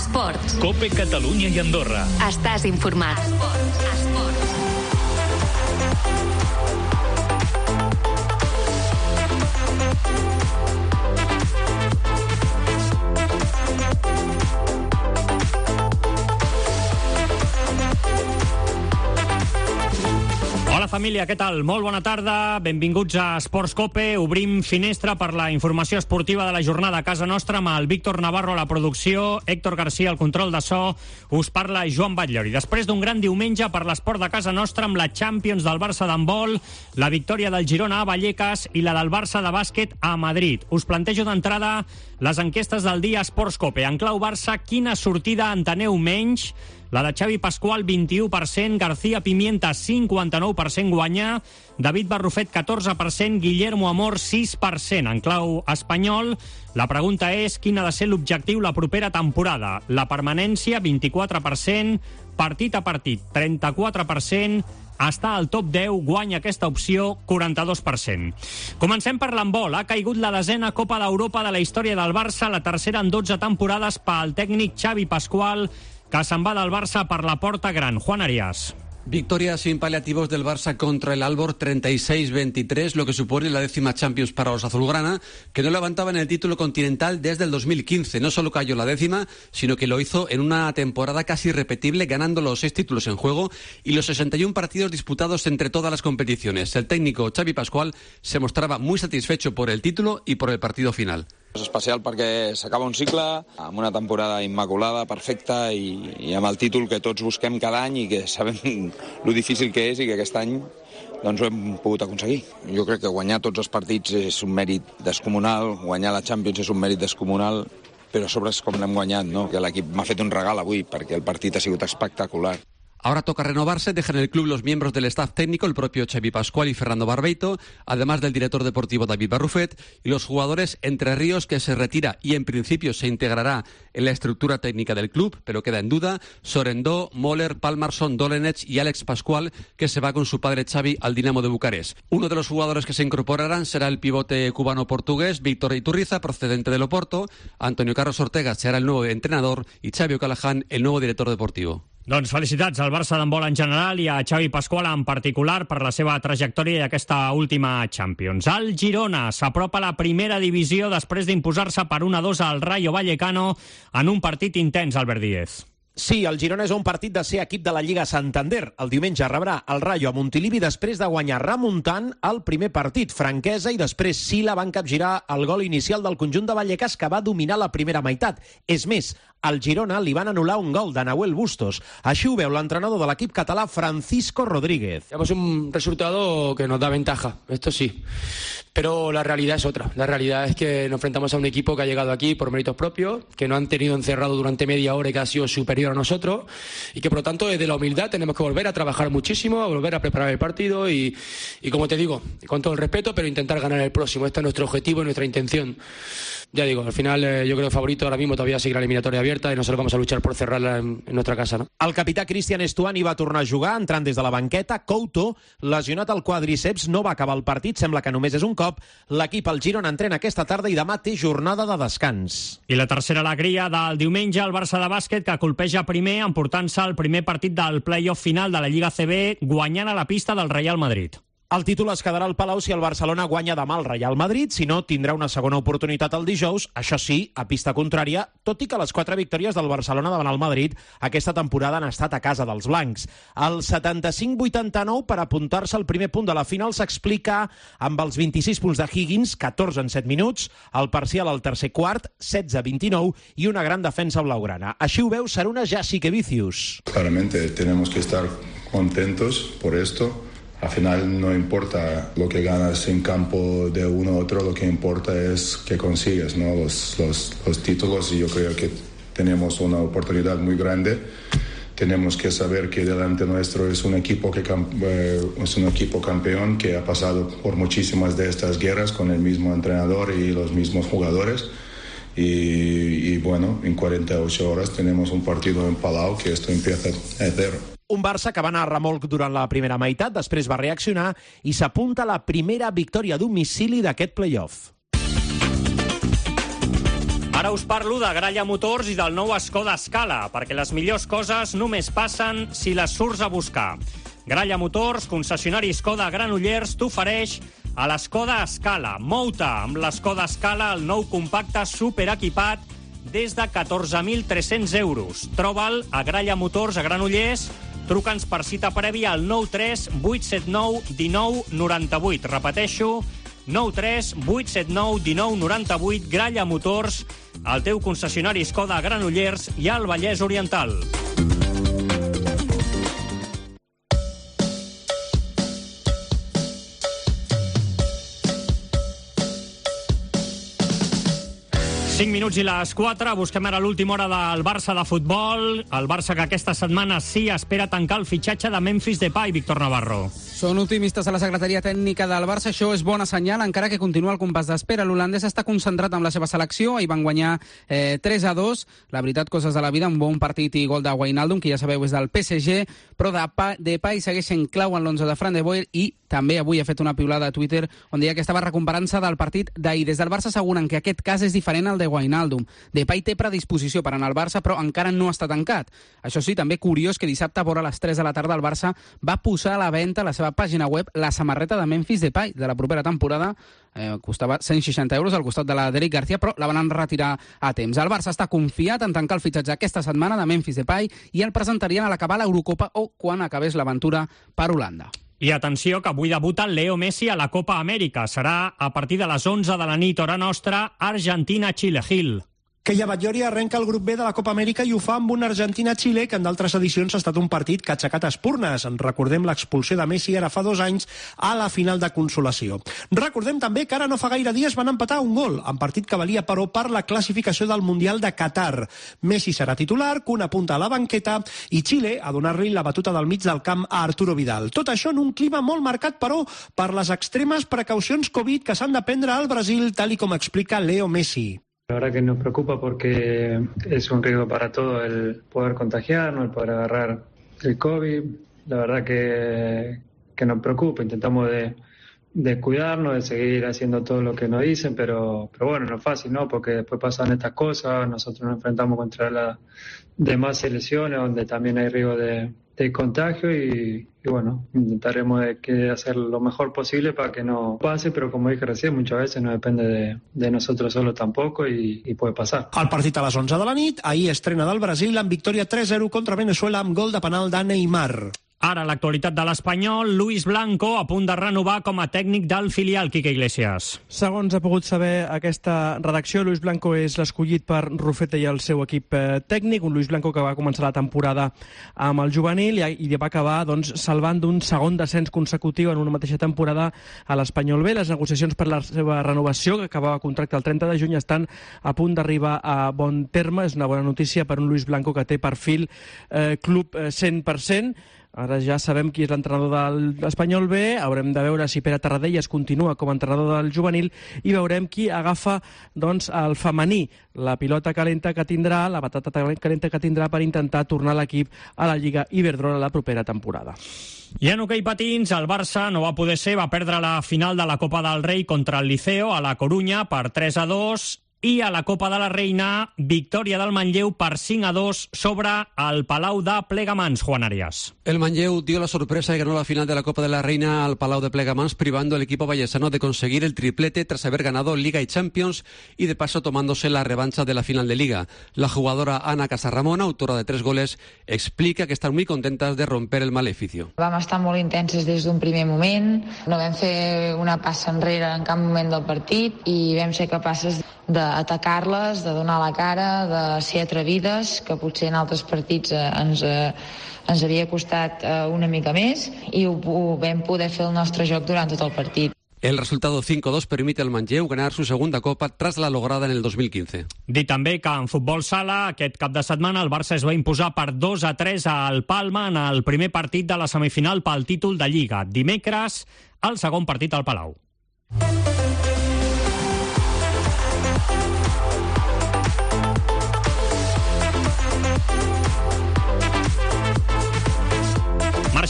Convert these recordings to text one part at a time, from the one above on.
Esports. COPE Catalunya i Andorra. Estàs informat. Esports. Hola família, què tal? Molt bona tarda, benvinguts a Esports COPE. Obrim finestra per la informació esportiva de la jornada a casa nostra amb el Víctor Navarro a la producció, Héctor García al control de so, us parla Joan Batllori. Després d'un gran diumenge per l'esport de casa nostra amb la Champions del Barça d'handbol, la victòria del Girona a Vallecas i la del Barça de bàsquet a Madrid. Us plantejo d'entrada les enquestes del dia Esports COPE. En clau Barça, quina sortida enteneu menys? La de Xavi Pascual, 21%, García Pimienta, 59% guanya, David Barrufet, 14%, Guillermo Amor, 6%. En clau espanyol, la pregunta és quin ha de ser l'objectiu la propera temporada. La permanència, 24%, partit a partit, 34%, està al top 10, guanya aquesta opció, 42%. Comencem per l'handbol. Ha caigut la 10ª Copa d'Europa de la història del Barça, la tercera en 12 temporades pel tècnic Xavi Pascual, que se'n va del Barça per la porta gran. Juan Arias. Victoria sin paliativos del Barça contra el Aalborg, 36-23, lo que supone la 10ª Champions para los azulgrana, que no levantaban el título continental desde el 2015. No solo cayó la 10ª, sino que lo hizo en una temporada casi irrepetible, ganando los 6 títulos en juego y los 61 partidos disputados entre todas las competiciones. El técnico Xavi Pascual se mostraba muy satisfecho por el título y por el partido final. És especial perquè s'acaba un cicle amb una temporada immaculada, perfecta i amb el títol que tots busquem cada any i que sabem lo difícil que és i que aquest any doncs ho hem pogut aconseguir. Jo crec que guanyar tots els partits és un mèrit descomunal, guanyar la Champions és un mèrit descomunal, però a sobre és com l'hem guanyat, no? Que l'equip m'ha fet un regal avui perquè el partit ha sigut espectacular. Ahora toca renovarse, dejan el club los miembros del staff técnico, el propio Xavi Pascual y Fernando Barbeito, además del director deportivo David Barrufet, y los jugadores Entre Ríos, que se retira y en principio se integrará en la estructura técnica del club, pero queda en duda, Sorendó, Moller, Palmarsson, Dolenech y Alex Pascual, que se va con su padre Xavi al Dinamo de Bucarest. Uno de los jugadores que se incorporarán será el pivote cubano-portugués Víctor Iturriza, procedente del Oporto. Antonio Carlos Ortega será el nuevo entrenador y Xavi O'Callaghan el nuevo director deportivo. Doncs felicitats al Barça d'handbol en general i a Xavi Pascual en particular per la seva trajectòria i aquesta última Champions. El Girona s'apropa a la primera divisió després d'imposar-se per 1-2 al Rayo Vallecano en un partit intens, Albert Díez. Sí, el Girona és un partit de ser equip de la Lliga Santander. El diumenge rebrà el Rayo a Montilivi després de guanyar remuntant el primer partit. Franquesa i després Sila van capgirar el gol inicial del conjunt de Vallecas, que va dominar la primera meitat. És més, al Girona li van anul·lar un gol de Nahuel Bustos. Així ho veu l'entrenador de l'equip català, Francisco Rodríguez. Tenemos un resultado que nos da ventaja, esto sí. Pero la realidad es otra. La realidad es que nos enfrentamos a un equipo que ha llegado aquí por méritos propios, que nos han tenido encerrado durante media hora y que ha sido superior a nosotros, y que por lo tanto desde la humildad tenemos que volver a trabajar muchísimo, a volver a preparar el partido y como te digo, con todo el respeto, pero intentar ganar el próximo. Este es nuestro objetivo y nuestra intención. Ya digo, al final yo creo que favorito ahora mismo todavía seguir la eliminatoria abierta y nosotros vamos a luchar por cerrarla en nuestra casa, ¿no? El capità Cristian Estuani va tornar a jugar entrant des de la banqueta. Couto, lesionat al quadríceps, no va acabar el partit, sembla que només és un cop. L'equip al Girona entrena aquesta tarda i demà té jornada de descans. I la tercera alegria del diumenge, el Barça de bàsquet, que colpeja primer emportant-se el primer partit del play-off final de la Lliga CB, guanyant a la pista del Real Madrid. El títol es quedarà al Palau si el Barcelona guanya demà al Real Madrid, si no, tindrà una segona oportunitat el dijous, això sí, a pista contrària, tot i que les 4 victòries del Barcelona davant el Madrid aquesta temporada han estat a casa dels blancs. El 75-89 per apuntar-se al primer punt de la final s'explica amb els 26 punts de Higgins, 14 en 7 minuts, el parcial al tercer quart, 16-29, i una gran defensa blaugrana. Així ho veu Saruna Jasikevičius. Claramente tenemos que estar contentos por esto. Al final no importa lo que ganas en campo de uno u otro, lo que importa es que consigues, ¿no? los títulos, y yo creo que tenemos una oportunidad muy grande. Tenemos que saber que delante nuestro es un equipo campeón que ha pasado por muchísimas de estas guerras con el mismo entrenador y los mismos jugadores. Y bueno, en 48 horas tenemos un partido en Palau que esto empieza a cero. Un Barça que va anar a remolc durant la primera meitat, després va reaccionar i s'apunta a la primera victòria a domicili d'aquest play-off. Ara us parlo de Gralla Motors i del nou Skoda Scala, perquè les millors coses només passen si les surts a buscar. Gralla Motors, concessionari Skoda a Granollers, t'ofereix a l'Skoda Scala. Mou-te amb l'Skoda Scala, el nou compacte superequipat, des de 14.300 euros. Troba'l a Gralla Motors a Granollers. Truca'ns per cita prèvia al 93 879 19 98. Repeteixo, 93 879 19 98. Gralla Motors, el teu concessionari Skoda a Granollers i al Vallès Oriental. 5 minuts i les 4. Busquem ara l'última hora del Barça de futbol. El Barça que aquesta setmana sí espera tancar el fitxatge de Memphis Depay, Víctor Navarro. Són optimistes a la secretaria tècnica del Barça. Això és bona senyal, encara que continua el compàs d'espera. L'holandès està concentrat amb la seva selecció. Ahir van guanyar 3-2. La veritat, coses de la vida, un bon partit i gol de Wijnaldum, que ja sabeu és del PSG, però Depay segueix sent clau en l'11 de Fran de Boer i també avui ha fet una piulada a Twitter on deia que estava recuperant-se del partit d'ahir. Des del Barça asseguren que aquest cas és diferent al de Wijnaldum. Depay té predisposició per anar al Barça, però encara no està tancat. Això sí, també curiós que dissabte, a vora les 3 de la tarda, el Barça va posar a la venda a la seva pàgina web la samarreta de Memphis Depay de la propera temporada. Costava 160 euros al costat de la d'Eric García, però la van retirar a temps. El Barça està confiat en tancar el fitxatge aquesta setmana de Memphis Depay i el presentarien a l'acabar l'Eurocopa o quan acabés l'aventura per Holanda. I atenció, que avui debuta Leo Messi a la Copa Amèrica. Serà a partir de les 11 de la nit, hora nostra, Argentina-Xile. Gil. Keia Batllori arrenca el grup B de la Copa Amèrica i ho fa amb un Argentina-Xile que en d'altres edicions ha estat un partit que ha aixecat espurnes. Recordem l'expulsió de Messi ara fa 2 anys a la final de consolació. Recordem també que ara no fa gaire dies van empatar un gol, en partit que valia però per la classificació del Mundial de Qatar. Messi serà titular, Kun apunta a la banqueta i Xile a donar-li la batuta del mig del camp a Arturo Vidal. Tot això en un clima molt marcat, però, per les extremes precaucions Covid que s'han de prendre al Brasil, tal i com explica Leo Messi. La verdad que nos preocupa porque es un riesgo para todos el poder contagiarnos, el poder agarrar el COVID. La verdad que nos preocupa, intentamos de cuidarnos, de seguir haciendo todo lo que nos dicen, pero bueno, no es fácil, ¿no? Porque después pasan estas cosas, nosotros nos enfrentamos contra las demás selecciones donde también hay riesgo de contagio y bueno, intentaremos de hacer lo mejor posible para que no pase, pero como dije recién, muchas veces no depende de nosotros solo tampoco y puede pasar. El partit a les 11 de la nit, ahir estrena del Brasil amb victòria 3-0 contra Venezuela amb gol de penal de Neymar. Ara l'actualitat de l'Espanyol, Luis Blanco a punt de renovar com a tècnic del filial, Quique Iglesias. Segons ha pogut saber aquesta redacció, Luis Blanco és l'escollit per Rufete i el seu equip tècnic, un Luis Blanco que va començar la temporada amb el juvenil i va acabar salvant d'un segon descens consecutiu en una mateixa temporada a l'Espanyol B. Les negociacions per la seva renovació, que acabava contracte el 30 de juny, estan a punt d'arribar a bon terme. És una bona notícia per un Luis Blanco que té perfil club 100%. Ara ja sabem qui és l'entrenador de l'Espanyol B, haurem de veure si Pere Tarradellas continua com a entrenador del juvenil i veurem qui agafa el femení, la pilota calenta que tindrà, la patata calenta que tindrà per intentar tornar l'equip a la Lliga Iberdrola la propera temporada. I en hoquei patins, el Barça no va poder ser, va perdre la final de la Copa del Rei contra el Liceo a la Corunya per 3-2. I a la Copa de la Reina, victòria del Manlleu per 5-2 sobre el Palau de Plegamans, Juan Arias. El Manlleu dio la sorpresa y ganó la final de la Copa de la Reina al Palau de Plegamans, privando al equipo vallesano de conseguir el triplete tras haber ganado Liga y Champions y de paso tomándose la revancha de la final de Liga. La jugadora Ana Casarramón, autora de 3 goles, explica que están muy contentas de romper el maleficio. Vam estar molt intenses des d'un primer moment, no vam fer una passa enrere en cap moment del partit i vam ser capaces d'atacar-les, de donar la cara, de ser atrevides, que potser en altres partits ens havia costat una mica més i ho vam poder fer el nostre joc durant tot el partit. El resultado 5-2 permite al Manlleu ganar su segunda Copa tras la lograda en el 2015. Dir també que en futbol sala, aquest cap de setmana, el Barça es va imposar per 2-3 al Palma en el primer partit de la semifinal pel títol de Lliga. Dimecres, el segon partit al Palau.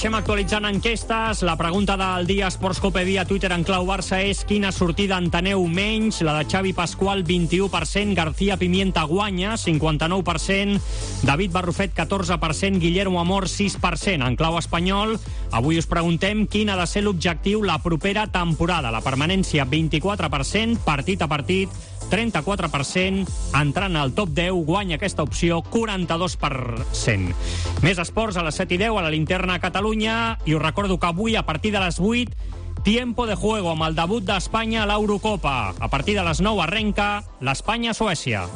Segueixem actualitzant enquestes. La pregunta del dia Esportscope via Twitter en clau Barça és: quina sortida enteneu menys? La de Xavi Pascual, 21%, García Pimienta guanya, 59%, David Barrufet, 14%, Guillermo Amor, 6%. En clau espanyol, avui us preguntem quin ha de ser l'objectiu la propera temporada. La permanència, 24%, partit a partit, 34%, entrant al top 10, guanya aquesta opció, 42%. Més esports a les 7:10 a la Linterna Catalunya, i us recordo que avui, a partir de les 8, tiempo de juego amb el debut d'Espanya a l'Eurocopa. A partir de les 9 arrenca l'Espanya-Suècia.